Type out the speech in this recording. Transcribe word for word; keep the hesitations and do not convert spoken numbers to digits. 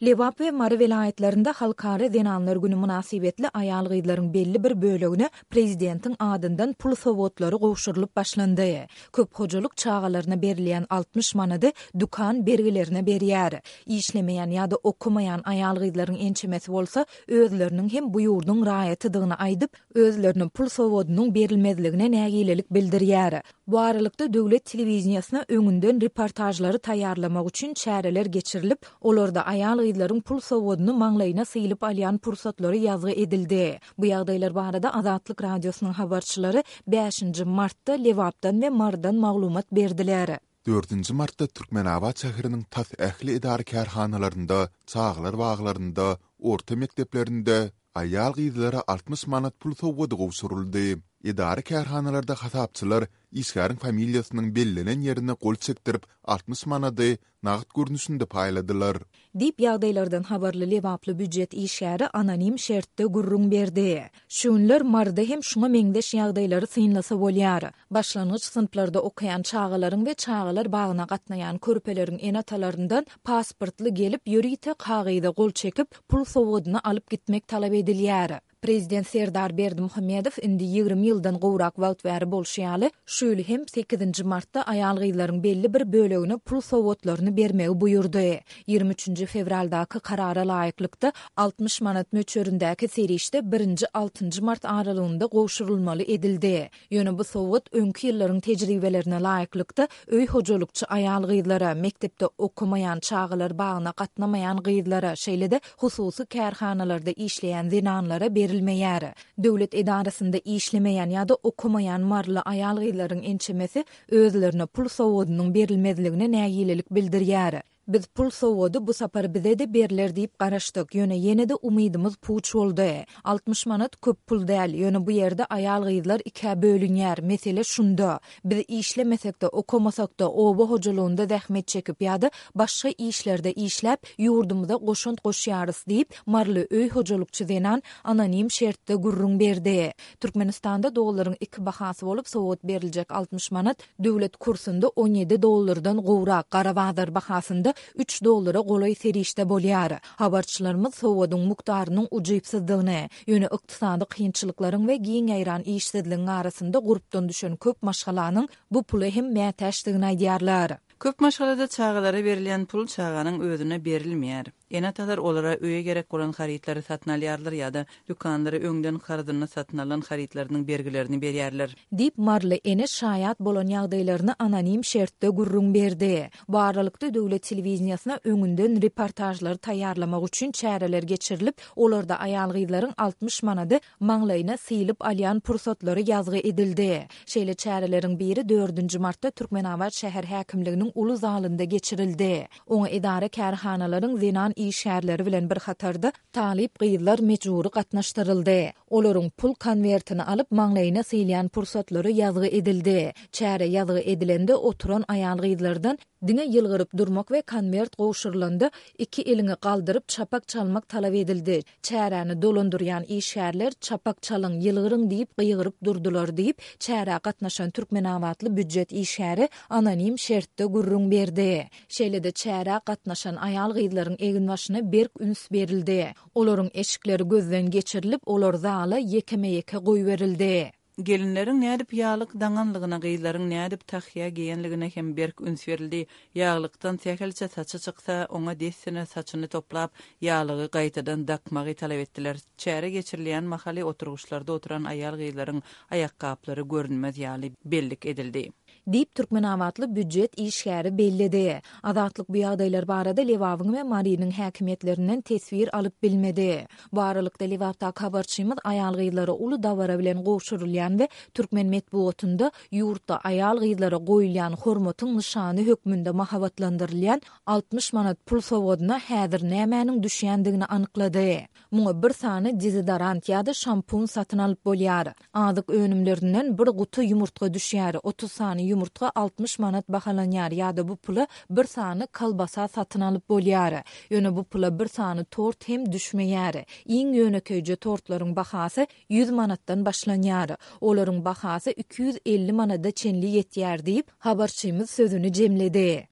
Lebap we Mary welaýatlarynda Halkara zenanlar güni mynasybetli aýal-gyzlaryň belli bir bölegine prezidentiň adyndan pul sowgatlary gowşurylyp başlandy. Köp hojalyk çagalaryna berilýän altmyş manady dükan bergilerine berýär. Işlemeýän ýa-da okamaýan aýal-gyzlaryň ençemesi bolsa özleriniň hem bu ýurduň raýatydygyny aýdyp, özlerine pul sowgadynyň berilmezligine nägilelik bildirýär. Bu aralykda döwlet telewideniýesine öňünden reportažlary taýýarlamak üçin çäreler geçirilip, olarda aýal-gyzlaryň pul sowgadyny maňlaýyna sylyp alýan pursatlary ýazgy edildi. Bu ýagdaýlar barada Azatlyk Radiosynyň habarçylary bäşinji martda Lebapdan we Marydan maglumat berdiler. Dördünji martda Türkmenabat şäheriniň tas ähli edara-kärhanalarynda, çagalar baglarynda, orta mekdeplerinde aýal-gyzlara altmyş manat pul sowgady gowşuryldy. Edara-kärhanalarda hasapçylar işgäriň familiýasynyň bellenen ýerine gol çekdirip, altmyş manady nagt görnüşinde paýladylar. Diýip, ýagdaýlardan habarly lebaply býujet işgäri anonim şertde gürrüň berdi. Şu günler Maryda hem şuňa meňzeş ýagdaýlary synlasa bolýar. Başlangyç synplarda okaýan çagalaryň we çagalar bagyna gatnaýan körpeleriň ene-atalaryndan pasportly gelip, ýörite kagyza gol çekip, pul sowgadyny alyp gitmek talap edilýär. Prezident Serdar Berdimuhamedow indi ýigrimi ýyldan gowrak wagt bäri bolşy ýaly, şu ýyl hem sekizinji martda aýal-gyzlaryň belli bir bölegine pul sowgatlaryny bermegi buýurdy. Ýigrimi üçünji fewraldaky karara laýyklykda, altmyş manat möçberindäki serişde birinji, altynjy mart aralygynda gowşurylmaly edildi. Ýöne bu sowgat öňki ýyllaryň tejribelerine laýyklykda öý hojalykçy aýal-gyzlara, mekdepde okamaýan, çagalar bagyna gatnamaýan gyzlara, şeýle-de hususy kärhanalarda işleýän zenanlara berilmeýär. Döwlet edarasynda işlemeýän ýa-da okamaýan maryly aýal-gyzlaryň ençemesi özlerine pul sowgadynyň berilmezligine nägilelik bildirýär. Biz pul sowgady bu sapar bize-de berler diýip garaşdyk, ýöne ýene-de umydymyz puç boldy. Altmyş manat köp pul däl, ýöne bu ýerde aýal-gyzlar ikä bölünýär, mesele şunda. Biz işlemesek-de, okamasak-da, oba hojalygynda zähmet çekip ýa-da başga işlerde işläp, ýurdumyza goşant goşýarys diýip, maryly öý hojalykçy zenan anonim şertde gürrüň berdi. Türkmenistanda dollaryň iki bahasy bolup, sowgat beriljek altmyş manat Döwlet kursunda on ýedi dollardan gowrak, gara bazar bahasynda üç dollara golaý serişde bolýar. Habarçylarymyz sowgadyň mukdarynyň ujypsyzdygyny, ýöne ykdysady kynçylyklaryň we giň ýaýran işsizligiň arasynda gurpdan düşen köp maşgalanyň bu pula hem mätäçdigini aýdýarlar. Köp maşgalada çagalara berilýän pul çaganyň özüne berilmeýär. Ene-atalar olara öýe gerek bolan harytlary satyn alýarlar ýa-da dükanlara öňden karzyna satyn alan harytlarynyň bergilerini berýärler. Diýip, maryly ene şaýat bolan ýagdaýlaryny anonim şertde gürrüň berdi. Bu aralykda, döwlet telewideniýesine öňünden reportažlary taýýarlamak üçin çäreler geçirilip, olarda aýal-gyzlaryň altmyş manady maňlaýyna sylyp alýan pursatlary ýazgy edildi. Şeýle çäreleriň biri dördünji martda Türkmenabat şäher häkimliginiň uly zalynda geçirildi. Oňa edara-kärhanalaryň zenan işgärleri bilen bir hatarda talyp gyzlar mejbury gatnaşdyryldy. Olaryň pul konwertini alyp maňlaýyna sylýan pursatlary ýazgy edildi. Çäre ýazgy edilende oturan aýal-gyzlardan diňe ýylgyryp durmak we konwert gowşurylanda iki eliňi galdyryp çapak çalmak talap edildi. Çäräni dolandyrýan işgärler çapak çalyň, ýylgyryň diýip gygyryp durdular diýip, çärä gatnaşan türkmenabatly býujet işgäri anonim şertde gürrüň berdi. Şeýle-de çärä gatnaşan aýal-gyzlaryň eginbaşyna berk üns berildi. Olaryň eşikleri gözden geçirilip, olar zala ýekeme-ýeke goýberildi. Gelinleriň nädip ýaglyk daňanlygyna, gyzlaryň nädip tahýa geýenligine hem berk üns berildi. Ýaglykdan sähelçe saçy çyksa, oňa dessine saçyny toplap, ýaglygy gaýtadan dakmagy talap etdiler. Çäre geçirilýän mahaly oturgyçlarda oturan aýal-gyzlaryň aýakgaplary görünmez ýaly bellik edildi. Diýip, türkmenabatly býujet işgäri belledi. Azatlyk bu ýagdaýlar barada Lebabyň we Marynyň häkimiýetlerinden teswir alyp bilmedi. Bu aralykda, Lebapdaky habarçymyz aýal-gyzlara uly dabara bilen gowşurylýan we türkmen metbugatynda ýurtda aýal-gyzlara goýulýan hormatyň nyşany hökmünde mahabatlandyrylýan altmyş manat pul sowgadyna häzir nämäniň düşýändigini anyklady. Muňa bir sany dezodorant ýa-da şampun satyn alyp bolýar. Azyk önümlerinden bir guty ýumurtga düşýär, otuz sany ýumurtga altmyş manat bahalanýar ýa-da bu pula bir sany kolbasa satyn alyp bolýar. Ýöne bu pula bir sany tort hem düşmeýär. Iň ýönekeýje tortlaryň bahasy ýüz manatdan başlanýar. Olaryň bahasy iki ýüz elli manada çenli ýetýär diýip, habarçymyz sözüni jemledi.